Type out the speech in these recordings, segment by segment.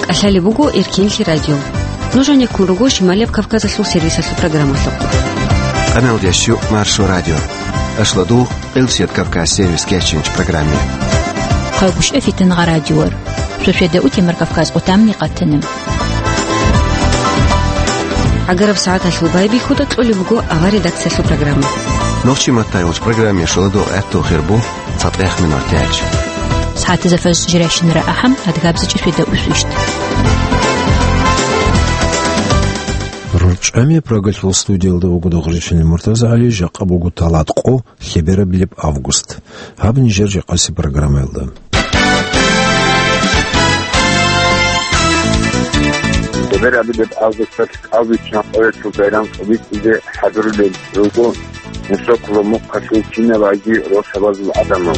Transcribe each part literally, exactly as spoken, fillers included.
КӀалъалеб буго Эркенлъи радио. Нуж гӀенеккун руго Шималияб Кавказалъул сервисалъул программалъухъ. Къаналдеш щу Маршо радио. Ашлодугъ Къилсият Кавказ сервис кечинч программе. Хъалгушев Фитнагъа радиор. Суседа утемар Кавказ къутамни къатана. ГӀагараб сагӀаталъул байбихьуда кьолеб буго авар редакциялъул программа. Нохчи матайулч программе шоладо гӀатту хирбу цатӀех минут тяч. СагӀатазда фарз жиращинара ахӀам, адгабзачӀи суседа усвищт. РорчӀами Прагалъул студиялда вуго Дагъричилин Муртазагьали, жакъа буго талат къо, лъеберабилеб август. Гьаб нижер жакъаси программаялда. Лъеберабилеб августалъ кӀалбиччан къоялъул байрам цӀализе хӀадурулел руго. Мусокуло мухъалъул кинабаги росабазул адамал.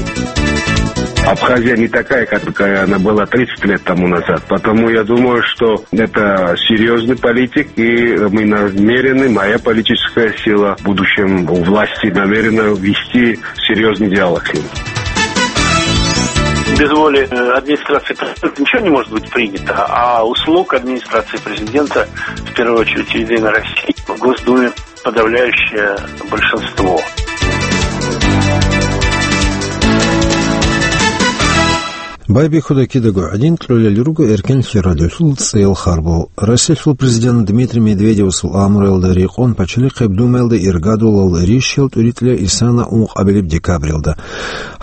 Абхазия не такая, как, какая она была тридцать лет тому назад. Потому я думаю, что это серьезный политик, и мы намерены, моя политическая сила, в будущем у власти намерена вести серьезный диалог с ним. Без воли, э, администрации президента ничего не может быть принято, а услуг администрации президента, в первую очередь, Единой России, в Госдуме подавляющее большинство. Байбихьуда кидаго гӀадин кьолел руго Эркенлъи радиолъул цӀел харбал. Россиялъул президент Дмитрий Медведевасул амруялда рекъон Пачалихъеб Думаялда иргадулал ришиял тӀуритӀила исана ункъабилеб декабралда.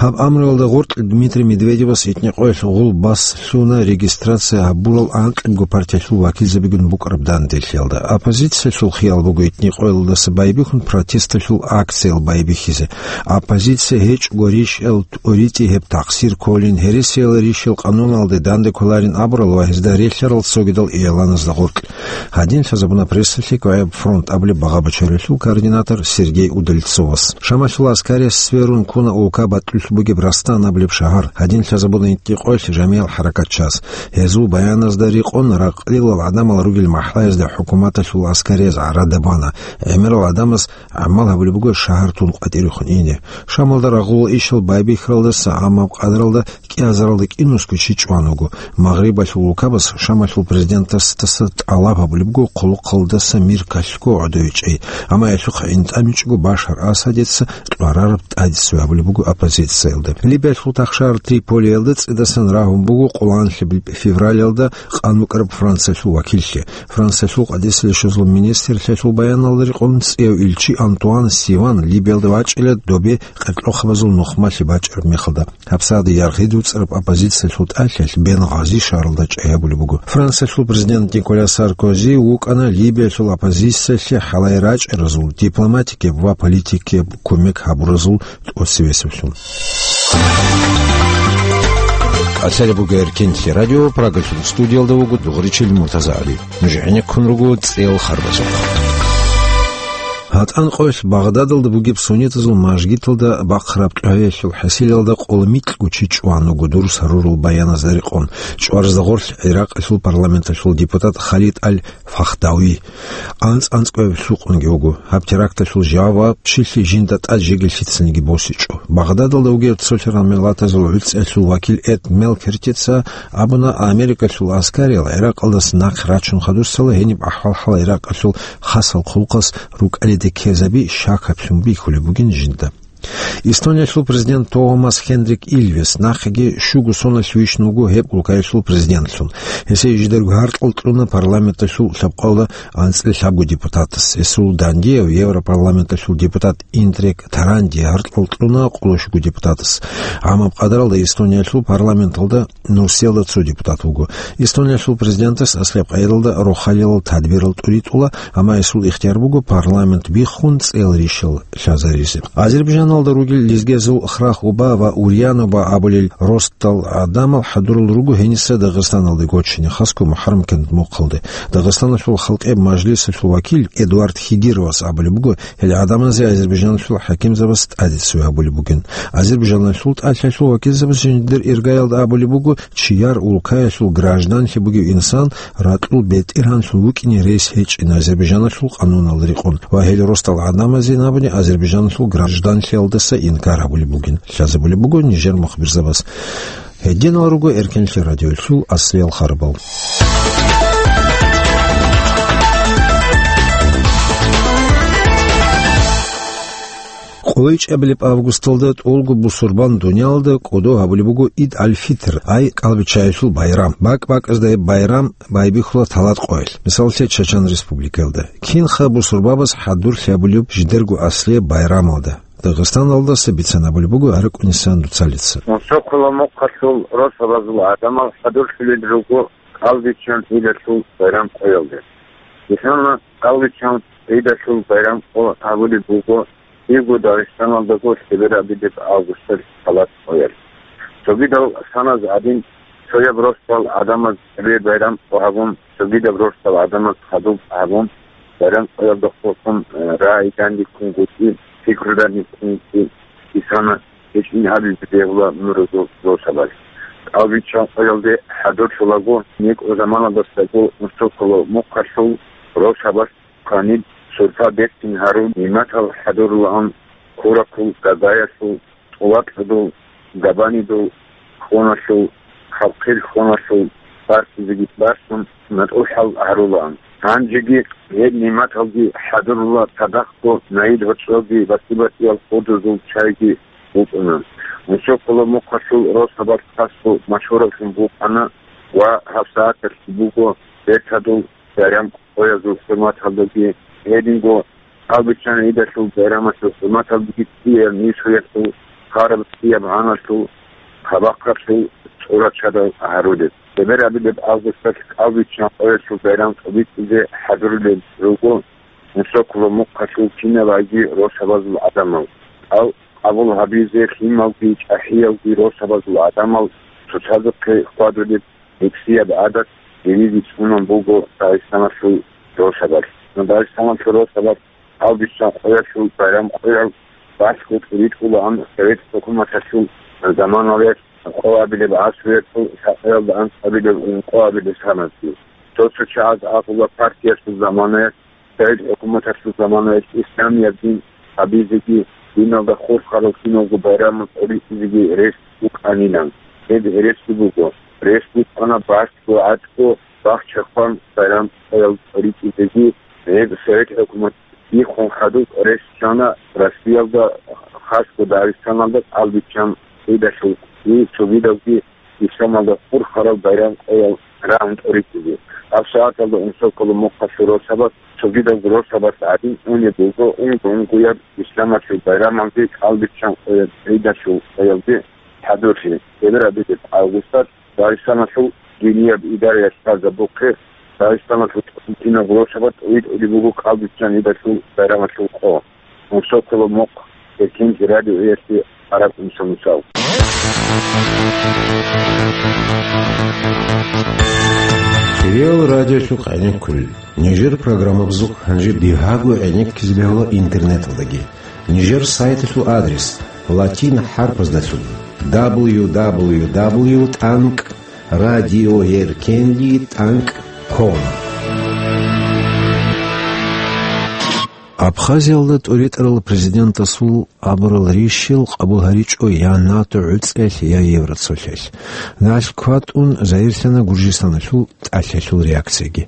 Гьаб амруялда гъоркь Дмитрий Медведевас итни къоялъ гъул баслъуна регистрация гьабурал анкьабго партиялъул вакилзабигун букӀараб данделъиялда. Оппозициялъул хиял буго итни къоялдаса байбихьун протесталъул акциял байбихьизе. Оппозиция гьечӀого ришиял тӀуритӀи гьеб такъсир кколин, гьересиял ришиял къануналде данде кколарин абурал ва гьезда релълъарал цогидал игӀланазда гъоркь. Гьадин лъазабуна прессалъе КвгӀеб фронт абулеб багъа-бачаралъул координатор Сергей Удальцовас. Шамалъул аскарияс сверун ккуна улка батӀулъ бугеб Растан абулеб шагьар. Гьадин лъазабуна итни къоялъ жамиял хӀаракатчияс. Гьезул баяназда рекъон, ракълилал гӀадамал ругел махӀлаязда хӀукуматалъул аскарияз гӀарада бана. ГӀемерал гӀадамаз гӀамал гьабулеб буго шагьар тун къватӀирехун ине. Шамалда рагъулал ишал байбихьаралдаса, амма къадаралда кӀиазаралда кӀинусго чи чӀван вуго. Магърибалъул улкабаз Шамалъул президентасдаса тӀалаб гьабулеб буго хъулухъалдаса мир калъго гӀодовичӀей, амма гьелъухъ гӀинтӀамичӀого Башар Асадица кьварараб тӀадицци гьабулеб буго оппозициялда. Либиялъул тахшагьар Триполиялда цӀидасан рагьун буго къоланлъи февралалда къан букӀараб Франциялъул вакиллъи. Франциялъул къадисалъул министрлъиялъул баяналда рекъон цӀияв илчи Антуан Сиван Либиялда вачӀила добе къеркьохъабазул нухмалъи бачӀараб мехалда. ГьабсагӀат яргъи дуцӀараб оппозициялъул тӀалъиялъ Бенгъази шагьаралда чӀей гьабулеб буго. Франциялъул президент Николя Саркози вукӀана Либиялъул оппозициялъе хӀалай рачӀаразул, дипломатикияб ва политикияб кумек гьабуразул тӀоцевесевлъун. КӀалъалеб буго Эркенлъи радио, Прагалъул студиялда вуго Дугъричил Муртазагьали. Нуж гӀенеккун руго цӀел харбазухъ. ГьатӀан къоялъ Багъдадалда бугеб суннитазул мажгиталда бахъараб кьвагьиялъул хӀасилалда къоло микьго чи чӀван вуго дурс гьарурал баяназда рекъон, чӀваразда гъорлъ ГӀиракъалъул парламенталъул депутат Халид аль-Фахдави. АнцӀ-анцӀкӀваяб лъукъунги вуго. Гьаб теракталъул жавабчилъи жинда тӀад жеги лъицаниги босичӀо. Багъдадалда вугев цолъарал миллатазул гӀуцӀиялъул вакил Эд Мелкертица абуна, Америкалъул аскариял ГӀиракъалдаса нахъе рачун хадусала гьениб ахӀвал-хӀал ГӀиракъалъул хасал хъулухъас рукӀалиде ккезаби щакаблъун бихьулеб бугин жинда. Эстониялъул президент Томас Хендрик Илвес нахъеги щуго соналъ вищун вуго гьеб улкаялъул президентлъун. Гьесие жидерго гьаркьал кьуна парламенталъул лъабкъоялда анцӀила лъабго депутатас. Гьесул дандияв Европарламенталъул депутат Индрек Таранди гьаркьал кьуна къоло щуго депутатас. Гьамаб къадаралда Эстониялъул парламенталда нурсиялда цо депутат вуго. Эстониялъул президентас аслаб къайдалда рохалилал тадбирал тӀуритӀула, амма гьесул ихтияр буго парламент биххун цӀел ришал лъазаризе. Азербайджаналда ругел лезгиязул Храх-Уба ва Урьян-Уба абулел ростал гӀадамал хӀадурал руго гьениса Дагъистаналде гочине, хасго МухӀаррам кент мухъалде. Дагъистаналъул халкъиял мажлисалъул вакил Эдуард Хигировас абулеб буго, гьел гӀадамазе азербайджаналъул хӀакимзабаз тӀаде цеве гьабулеб бугин. Азербайджаналъул тӀалъиялъул вакилзабаз жиндир иргаялда абулеб буго, чияр улкаялъул гражданлъи бугев инсан ракьул бетӀергьанлъун вукӀине рес гьечӀин Азербайджаналъул къануналда рекъон ва гьел ростал гӀадамазе абуни Азербайджаналъул гражданлъиялдаса инкар гьабулеб бугин, лъазабулеб буго нижер мухбирзабаз. Гьединал руго Эркенлъи радиолъул аслиял харбал. КъойчӀабилеб августалда тӀолго бусурбан дуниялалда кӀодо гьабулеб буго Ид аль-Фитр, ай кӀалбиччаялъул байрам. БакӀ-бакӀазда гьеб байрам байбихьула талат къоялъ. Мисаллъе, Чачан Республикаялда. Кинха бусурбабаз хӀадурлъи гьабулеб жидерго аслияб байрамалда? Дагъистаналдаса бицан абулеб буго ГӀаракӀунисан Дуцалица. Мусокула мухъалъул росабазул гӀадамал хӀадурлъулел руго кӀалбиччан Идалъул байрам къоялде. Исана кӀалбиччан Идалъул байрам къо гьабулеб буго диего Дагъистаналдаго лъеберабилеб августалъ талат къоялъ. Цогидал саназ гӀадин, цояб росдал гӀадамаз цебе байрам къо гьабун, цогидаб росдал гӀадамаз хадуб гьабун, байрам къоялда хъулухъун, э, рагӀиданги ккун гуцӀи, пикруданги ккун гуцӀи, исана гьечӀин гьабизе бегьула нуразул росабаз. КӀалбиччан къоялде хӀадурлъулаго, некӀо заманалдасаго мусокула мухъалъул росабаз кванил сурпа бертин гьарун, нигӀматал хӀадурулаан, куракул, гагаялъул, тӀулакьудул, габанидул хьоналъул, хъалхъил хьоналъул барсизеги барсун, натӀухӀал гьарулаан. Гьанжеги гьеб нигӀматалги хӀадурула, цадахъго наил гьоркьоги батӀи-батӀиял худузул чайги букӀуна. Мусокула мухъалъул росабаз хасго машгьураблъун букӀана ва гьабсагӀаталъ буго бертадул байрам къоязул хӀурматалдаги, гьединго кӀалбиччан Идалъул байрамалъул хӀурматалдаги цӀияб нисуялъул, хъараб цӀияб гӀаналъул, хъабахъалъул цӀурачадал гьарулеб. Лъеберабилеб августалъ кӀалбиччан къоялъул байрам тӀобитӀизе хӀадурулел руго мусокула мухъалъул кинабаги росабазул гӀадамал. Къал къабул гьабизе лъималги чӀахӀиялги росабазул гӀадамал цоцазухъе хьвадулеб гӀикӀсияб гӀадат гьенизе цӀунун буго Дагъистаналъул росабалъ. Дагъистаналъул росабалъ кӀалбиччан къоялъул байрам къоял балъго тӀуритӀулаан Совет хӀукуматалъул заманалъ къоабилеб гӀасруялъул лъабкъоялда анцӀабилеб ункъоабилеб саназги. Цо-цо чагӀаз абула, партиялъул заманаялъ, Совет хӀукуматалъул заманаялъ исламияб дин гьабизеги, диналда хурхарал киналго байрамал тӀоритӀизеги рес букӀанилан. Гьеб гьересиги буго. Рес букӀана балъго гӀатӀго бахчахъан байрам къоял тӀоритӀизеги, гьеб Совет хӀукумат ихъун хадуб рес чана Россиялда, хасго Дагъистаналда кӀалбиччан Идалъул и цогидабги исламалда хурхарал байрам къоял рагӀун тӀоритӀизе. ГьабсагӀаталда унсоккола мухъалъул росабаз цогидаб росабаз гӀадин унеб буго унго-унгояб исламалъул байрамалде кӀалбиччан къоял Идалъул къоялде хӀадурлъи. Лъеберабилеб августалъ Дагъистаналъул динияб идараялъ лъазабухъе Дагъистаналъул тӀасулъинаб росабаз тӀоритӀулеб буго кӀалбиччан Идалъул байрамалъул къо. Унсоккола мухъ, Эркенлъи радиоялъе гӀаракӀунсан мисал. Кирил радиолъухъ гӀенеккулел. Нижер программабазухъ гьанже дигьаго гӀенеккизе бегьула интернеталдаги. Нижер сайталъул адрес латин хӀарпаздалъун: дабл ю дабл ю дабл ю тӀанкӀ радиоэркенлъи тӀанкӀ ком. Абхазиялда тӀоритӀарал президентасул абурал рищал къабул гьаричӀо я НАТО гӀуцӀелъ, я Евроцолъиялъ. Налъ кватӀун, жагьирлъана Гуржистаналъул тӀалъалъул реакцияги.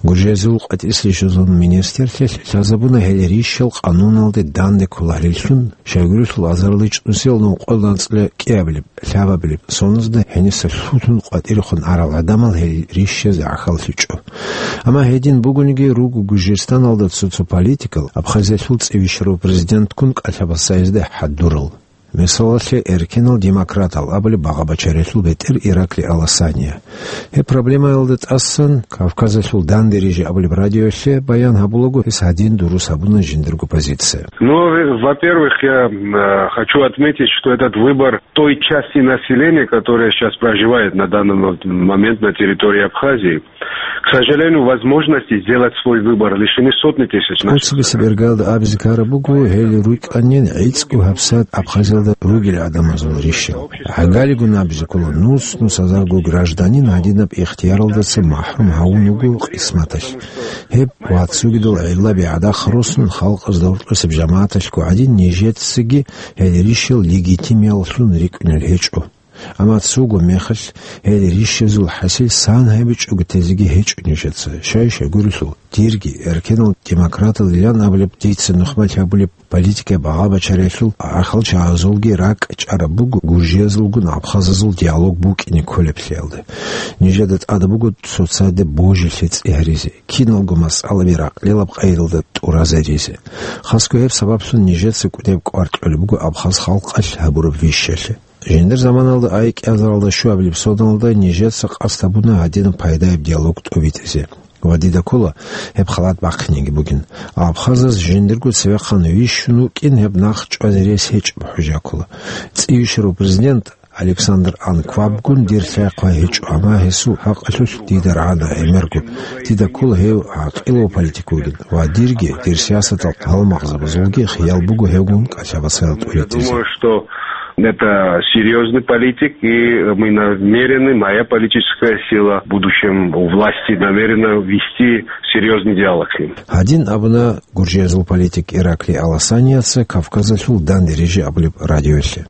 Гуржиязул къватӀирсайилан министрлъиялъ лъазабуна гьел рищал къануналде данде кколареллъун, щайгурелъул азарилан чӀунсиялда ункъоялда анцӀила кӀиабилеб, лъабабилеб соназда гьениса лъутун къватӀирехун арал гӀадамал гьел рищазе гӀахьаллъичӀо. Амма гьедин бугониги, руго Гуржистаналда цо-цо политикал Абхазиялъул цӀи бищарав президентккун кӀалъабасайизда хӀадурал. Мисалалъе, эркенал демократал абулеб багъа-бачаралъул бетӀер Ираклий Аласания. Гьеб проблемаялда тӀасан Кавказалъул данде рижи абулеб радиоялъе баян гьабулаго, гьес гьадин дурус гьабуна жиндирго позиция. Ну, во-первых, я, м, э, хочу отметить, что этот выбор той части населения, которая сейчас проживает на данный мо-, момент на территории Абхазии, к сожалению, возможности сделать свой выбор лишены сотни тысяч наших граждан. ТӀоцебесеб иргаялда абизе ккараб буго, гьел рукӀанин гӀицӀго гьабсагӀат Абхазиялда ругел гӀадамазул рищал. ГӀагалигун абизе ккола, нус-нусазарго гражданин гьадинаб ихтияралдаса махӀрум гьавун вуго къисматалъ. Гьеб ва цогидал гӀиллаби гӀадахъ росун, халкъазда гьоркьосеб жамагӀаталъго гӀадин, нижецаги гьел рищал легитимияллъун рикӀкӀунел гьечӀо. Амма цого мехалъ гьел рищазул хӀасил сан гьабичӀого тезеги гьечӀо нижеца. Щай-щай гурелъул, дирги, эркенал демократалилан абулеб, дица нухмалъи гьабулеб политикаяб багъа-бачариялъул гӀахьалчагӀазулги ракӀ чӀараб буго гуржиязулгун абхазазул диалог букӀине кколеблъиялда. Нижеда тӀад буго цоцаде божилъи цӀи гьаризе, киналго масъалаби ракьлилаб къайдалда тӀуразаризе. Хасго гьеб сабаблъун нижеца кӀудеб кӀвар кьолеб буго абхаз халкъалъ гьабураб вищалъе. Жиндир заманалда, ай кӀиазаралда щуабилеб соналда, нижеца къасд гьабуна гьадинаб пайдаяб диалог тӀобитӀизе. Ва дида ккола гьеб халат бахъинеги бугин. Абхазаз жиндирго цевехъан вищун вукӀин гьеб нахъ чӀвазе рес гьечӀеб хӀужа ккола. ЦӀийищарав президент Александр Анквабгун дир лъай-хъвай гьечӀо, амма гьесул хӀакъалъулъ дида рагӀана гӀемерго. Дида ккола гьев гӀакъилав политик вугин ва дирги, дир сиясатал гьалмагъзабазулги хиял буго гьевгун кӀалъа-бацарал тӀуритӀизе. Я думаю, что это серьёзный политик, и мы намерены, моя политическая сила в будущем у власти намерена вести серьёзный диалог с ним. Гьадин абуна гуржиязул политик Ираклий Аласанияца Кавказалъул данде рижи абулеб радиоялъе.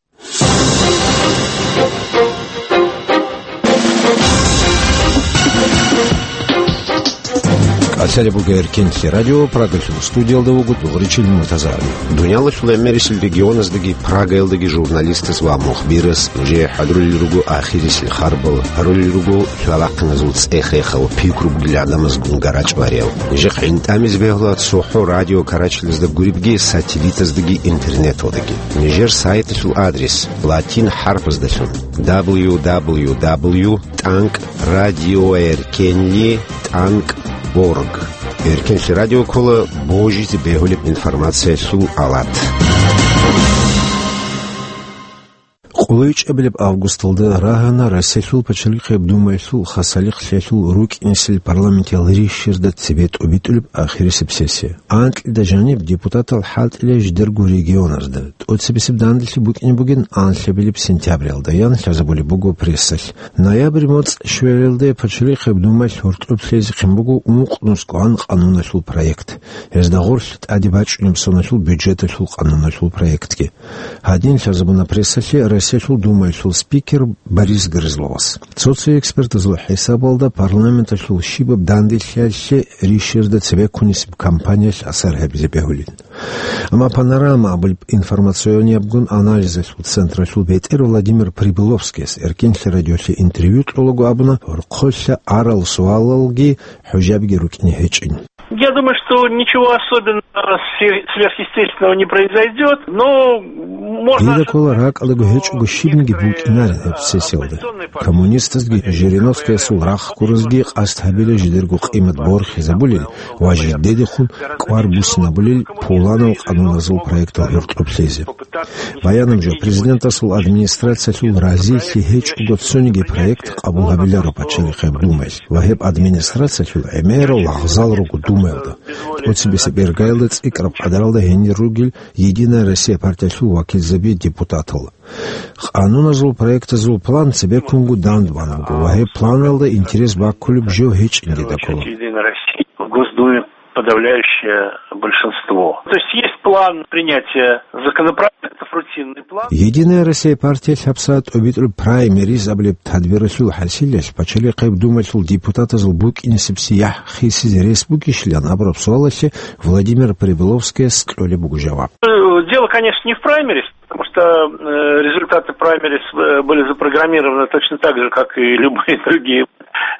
КӀалъалеб буго Эркенлъи радио, Прагалъул студиялда вуго Дугъричил Муртазаби. Дуниялалъул гӀемерисел регионаздаги Прагаялдаги журналистас ва мухбирас нужее хӀадурулел руго ахирисел харбал, гьарулел руго лъалахъиназул цӀех-рехал, пикру бугел гӀадамазгун гарачӀ вариял. Нижехъ гӀинтӀамизе бегьула цохӀо радио карачилазда гуребги сателлитаздаги интернеталдаги. Нижер сайталъул адрес латин хӀарпаздалъун: дабл ю дабл ю дабл ю тӀанкӀ радиоэркенли тӀанкӀ орг. Эркенлъи радио ккола божизе бегьулеб информациялъул алат. КъолайчӀебилеб августалда рагьана Россиялъул Пачалихъияб Думаялъул хасалихълъиялъул рукӀинесел парламентиял рищарда цебе тӀобитӀулеб ахирисеб сессия. Анкьида жаниб депутатал хӀалтӀила жидерго регионазда. ТӀоцебесеб данделъи букӀине бугин анлъабилеб сентябралда, ян лъазабулеб буго прессалъ. Ноябрь моцӀ щвелалде Пачалихъияб Думаялъ гьоркьоб лъезе хъин буго ункънусгоан къануналъул проект. Гьезда гъорлъ тӀаде бачӀунеб соналъул бюджеталъул къануналъул проектги. Гьадин лъазабуна прессалъе Россиялъул Думаялъул спикер Борис Грызловас. Цо-цо экспертазул хӀисабалда, парламенталъул щибаб данделъиялъе рищарда цебеккунисеб кампаниялъ асар гьабизе бегьулин. Амма «Панорама» абулеб информациониябгун анализалъул централъул бетӀер Владимир Прибыловскияс Эркенлъи радиолъе интервью кьолаго абуна, гьоркьолъа арал суалалги хӀужабги рукӀине гьечӀин. Я думаю, что ничего особенного сверх-, сверхъестественного не произойдёт, но можно... Дида ккола, ракӀалдаго гьечӀого щибниги букӀинарин гьеб сессиялда. Коммунистазги Жириновскиясул рахъ гуразги къасд гьабила жидерго къимат борхизабулел ва жидедехун кӀвар буссинабулел пуланал къануназул проектал гьоркьоб лъезе. Баянаб жо, президентасул администрациялъул разилъи гьечӀого цониги проект къабул гьабиларо Пачалихъияб Думаялъ ва гьеб администрациялъул гӀемерал лагъзал руго Думаялда, тӀоцебесеб иргаялда цӀикӀкӀараб къадаралда гьенир ругел «Единая Россия» партиялъул вакилзаби депутатал. Къануназул проектазул план цебеккунго дандбан буго ва гьеб планалда интерес баккулеб жо гьечӀин дида ккола. Единая Россия в Госдуме подавляющее большинство. То есть есть план принятия законопроектов, рутинный план. «Единая Россия» партиялъ гьабсагӀат тӀобитӀулеб праймериз абулеб тадбиралъул хӀасилалъ Пачалихъияб Думаялъул депутатазул букӀинесеб сияхӀ хисизе рес бугищилан абураб суалалъе Владимир Прибыловскияс кьолеб буго жаваб. Э, дело, конечно, не в праймериз, потому что, э, результаты праймериз, э, были запрограммированы точно так же, как и любые другие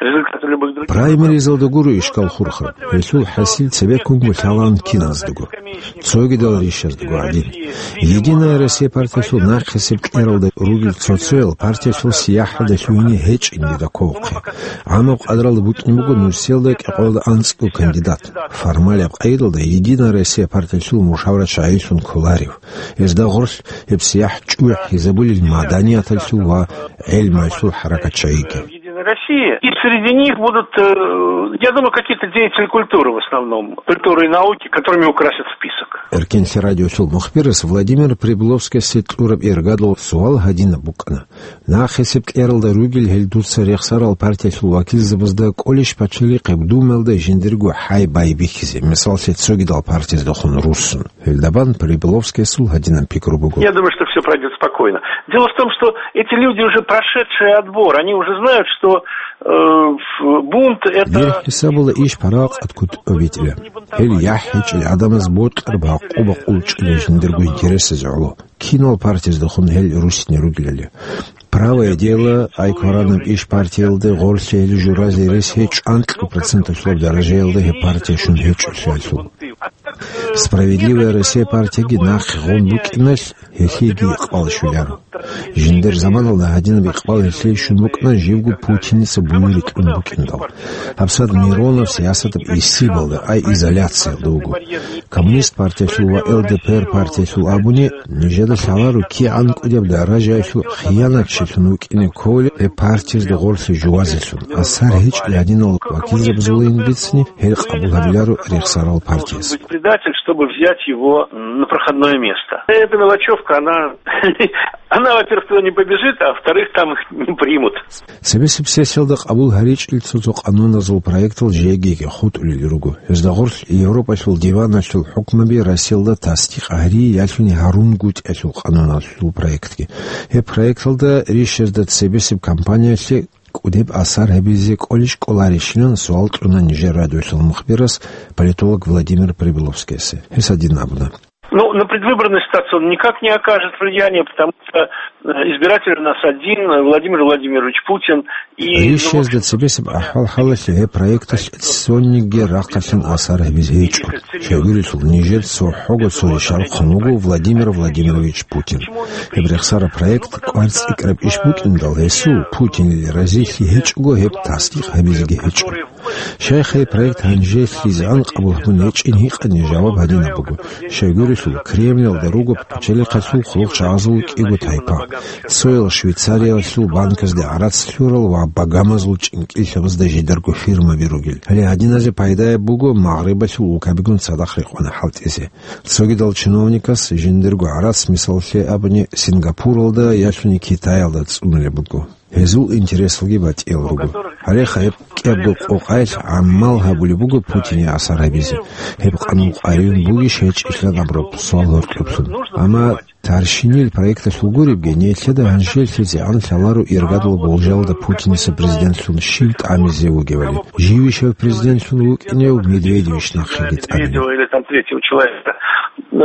результаты любых других выборов. Праймеризалда гуро ишкал хурхараб. Гьелъул хӀасил цебеккунго лъалаан киназдаго, цогидал рищаздаго гӀадин. «Единая Россия» партиялъул нахъисеб кьералда ругел цо-цоял партиялъул сияхӀалда лъугьине гьечӀин дида кколхъе. ГӀамаб къадралда букӀин буго нурсиялда кӀикъоялда анцӀго кандидат. Формалияб къайдалда «Единая Россия» партиялъул мушаврачагӀилъун кколарев. Гьезда гъорлъ гьеб сияхӀ чӀухӀизабулел маданияталъул ва гӀелмуялъул хӀаракатчагӀиги. России. И среди них будут, э, я думаю, какие-то деятели культуры в основном, культуры и науки, которыми украсят список. Эркенлъи радиолъул мухбирас Владимир Прибыловскасде кьураб иргадул суал гьадинаб букӀана: «Нахъисеб кьералда ругел гьел дуца рехсарал партиялъул вакилзабазда кӀолищ пачалихъеб Думаялда жиндирго хӀай байбихьизе, мисаллъи, цогидал партияздехун руссун?» Гьелдабан Прибыловскиясул гьадинаб пикру буго. Я думаю, что всё пройдёт спокойно. Дело в том, что эти люди уже прошедшие отбор, они уже знают, что, э, в-, бунт это... Дир хӀисабалда иш парагъат кутӀ обитӀила. Гьел яхӀ гьечӀел гӀадамаз бокьараб гӀакъуба къулчӀила жиндирго интересазе гӀоло. Кинал партияздехун гьел руссине ругелали. «Правое дело», «Ай кваранаб иш» партиялда гъорлъе гьел журазе рес гьечӀо анкьа проценталъулаб даражаялда гьеб партия щун гьечӀолъиялъул. «Справедливая Россия» партияги нахъе гъун букӀиналъ, гьелъиеги икъбал щвеларо. Жиндир заманалда гьадинаб икъбал гьелъие щун букӀана живго Путиница буюрикь ун букӀиндал. ГьабсагӀат Миронов сиясатаб исибалда, ай изоляциялда вуго. Коммунист партиялъул ва Л Д П Р партиялъул абуни, нижеда лъаларо кигӀан кӀудияб даражаялъул хиянатчилъун вукӀине кколеб гьеб партиязда гъорлъе жувазелъун. Асар гьечӀел гьадинал вакилзабазулин бицани, гьел къабул гьабиларо рехсарал партияз. Быть предатель, чтобы взять его на проходное место. Эта мелочевка, она, она, во-первых, туда не побежит, а во-вторых, там их не примут. Цебесеб сессиялда къабул гьаричӀел цо-цо къануназул проектал жегиги хутӀулел руго. Гьезда гъорлъ Европалъул диваналъул хӀукмаби Россиялда тасдикъ гьари ялъуни гьарунгутӀиялъул къануналъул проектги. Гьеб проекталда рищазда цебесеб кампаниялъе кӀудеб асар гьабизе кӀолищ кӀоларищилан суал кьуна нижер радиолъул мухбирас политолог Владимир Прибыловскиясе. Гьес гьадин абуна. Ну, на предвыборную ситуацию он никак не окажет влияния, потому что, э, избиратель у нас один, Владимир Владимирович Путин. И, ну, в общем, рищазда цебесеб ахӀвал-хӀалалъе гьеб проекталъ цониги рахъалъан асар гьабизе гьечӀо. Щайгурелъул, нижер цохӀого цо рищ рахъун вуго Владимир Владимирович Путин. Гьеб рехсараб проект кӀвар цӀикӀкӀараб иш букӀиндал, гьесул, Путинил, разилъи гьечӀого, гьеб тасдикъ гьабизеги гьечӀо. Щайха гьеб проект гьанжелъизегӀан къабул гьабун гьечӀин гьикъани, жаваб гьадинаб буго. Щайгурелъул, Кремльалда руго пачалихъалъул хъулухъчагӀазул кӀиго тайпа. Цоял Швейцариялъул банказде гӀарац лъурал ва Багамазул чӀинкӀиллъабазда жидарго фирмаби ругел. Гьале гьадиназе пайдаяб буго Магърибалъул улкабигун цадахъ рекъона хӀалтӀизе. Цогидал чиновникас жиндирго гӀарац, мисаллъе абуни, Сингапуралда ялъуни Китаялда цӀунулеб буго. Гьезул интересалги батӀиял руго. Гьале гьеб кӀиябго къокъаялъ гӀамал гьабулеб буго Путине асар гьабизе. Гьеб къанун къваригӀун бугищ гьечӀищилан абураб суал гьоркьоблъун. Амма тарщинил проекталъул гуребги, нилъеда гьанжелъизегӀан лъаларо иргадал болжалда Путиница президентлъун щив тӀамизе вугевали. Живищав президентлъун вукӀинев Медведевищ нахъеги тӀаминев. Или там третьего человека. Э,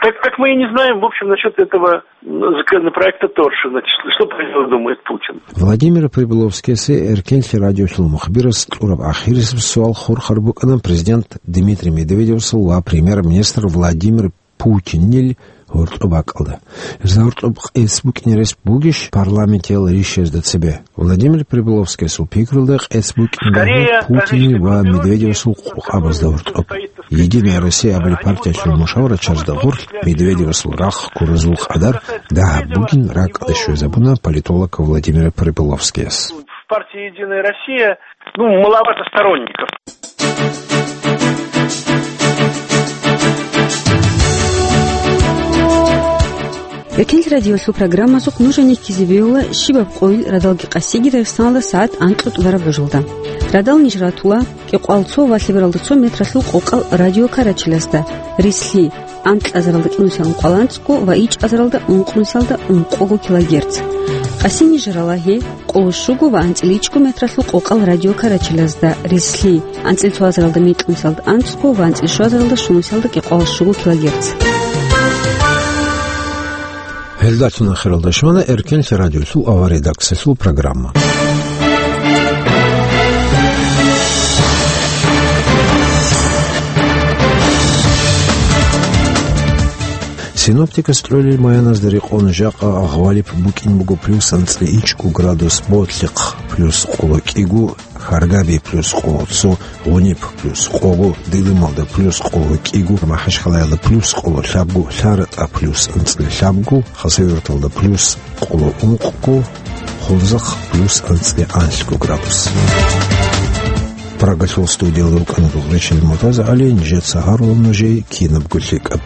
так, так мы и не знаем, в общем, насчёт этого законопроекта Торшина, что про него думает Путин. Владимир Прибыловскиясе Эркенлъи радиолъул мухбирас кьураб ахирисеб суал хурхар букӀана президент Дмитрий Медведевасул ва премьер-министр Владимир Путинил гьоркьоб бакӀалда. Гьезда гьоркьоб къец букӀине рес бугищ парламентиял рищазда цебе? Владимир Прибыловскиясул пикрулда къец букӀиндагьу Путинил ва Медведевасул къокъабазда гьоркьоб. «Единая Россия» абулеб партиялъул мушаврачарзда гъорлъ Медведевасул рахъ ккуразул къадар дагьаб бугин ракӀалде щвезабуна политолог Владимир Прибыловскияс. В партии «Единая Россия», ну, маловато сторонников. Эркенлъи радиолъул программазухъ нуж гьенеккизе бегьула щибаб къойил радалги къасиги Дагъистаналда сагӀат анкьго тӀубараб божалда. Радал ниж ратула кӀикъоялда цо ва лъебералда цо метралъул къокъал радиокарачелазда, рислъи анкьазаралда кӀинусиялда ункъоялда анцӀго ва ичӀазаралда ункънусиялда ункъого килогерц. Къаси ниж рала гьеб къоло щуго ва анцӀила ичӀго метралъул къокъал радиокарачелазда, рислъи анцӀила цоазаралда мекьнусиялда анцӀго ва анцӀила щуазаралда щунусиялда кӀикъоялда щуго килогерц. Гьелдалъун ахиралда щвана Эркенлъи радиолъул авария редакциялъул программа. Синоптикас кьолел майяназда рекъон жакъа гъвалиб букӀин буго плюс анцӀила ичӀго градус Ботлихъ, плюс къоло кӀиго, Харгаби плюс къоло цо, Гъуниб плюс къого, Дилималда плюс къоло кӀиго, Махачкалаялда плюс къоло лъабго, ЛъаратӀа плюс анцӀила лъабго, Хасавюрталда плюс къоло ункъго, хъулзахъ плюс анцӀила анлъго градус. Прагалъул студиялда рукӀана Гулгъичил МуртазагӀали, нижеца гьарула нужее кинабго лъикӀаб.